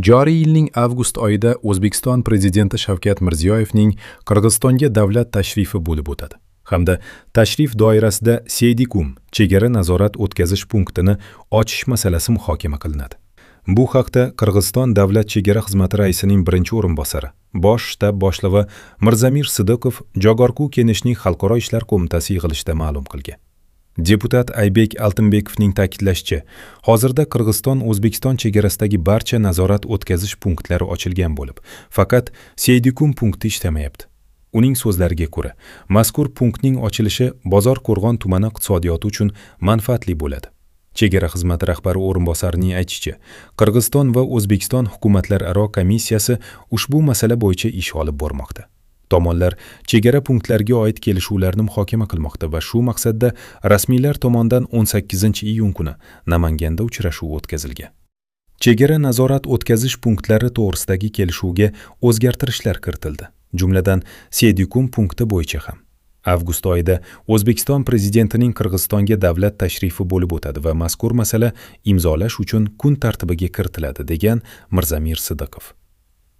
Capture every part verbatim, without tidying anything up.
Joriy yilning avgust oyida O'zbekiston prezidenti Shavkat Mirziyoyevning Qirg'izistonga davlat tashrifi bo'lib o'tadi hamda tashrif doirasida Seydikum chegara nazorat o'tkazish punktini ochish masalasi muhokama qilinadi. Bu haqda Qirg'iziston davlat chegara xizmati raisining birinchi o'rinbosari, bosh shtab boshlig'i Mirzamir Sidiqov Jogorku Keneshning Xalqaro ishlar qo'mitasi yig'ilishida ma'lum qilgan. Deputat Aybek Altinbekovning ta'kidlashicha, hozirda Qirg'iziston O'zbekiston chegarasidagi barcha nazorat o'tkazish punktlari ochilgan bo'lib, faqat Seydikum punkti ishlamayapti. Uning so'zlariga ko'ra, mazkur punktning ochilishi Bozor-Qo'rg'on tumani iqtisodiyoti uchun manfaatli bo'ladi. Chegara xizmati rahbari o'rinbosarining aytishicha, Qirg'iziston va O'zbekiston hukumatlararo komissiyasi ushbu masala bo'yicha ish olib bormoqda. Tomonlar chegara punktlariga oid kelishuvlarni muhokama qilmoqda va shu maqsadda rasmiylar tomonidan o'n sakkizinchi iyun kuni Namanganda uchrashuv o'tkazilgan. Chegara nazorat o'tkazish punktlari to'g'risidagi kelishuvga o'zgartirishlar kiritildi. Jumladan, Seydikum punkti bo'yicha ham. Avgust oyida O'zbekiston prezidentining Qirg'izistonga davlat tashrifi bo'lib o'tadi va mazkur masala imzolash uchun kun tartibiga kiritiladi, degan Mirzamir Sidiqov.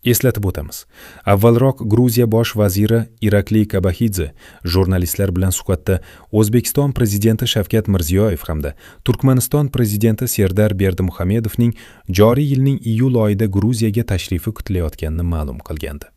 Eslatib o'tamiz. Avvalroq Gruziya bosh vaziri Irakli Kobaxidze jurnalistlar bilan suhbatda O'zbekiston prezidenti Shavkat Mirziyoyev hamda Turkmaniston prezidenti Serdar Berdimuhamedovning joriy yilning iyul oyida Gruziyaga tashrifi kutilayotganini ma'lum qilgandi.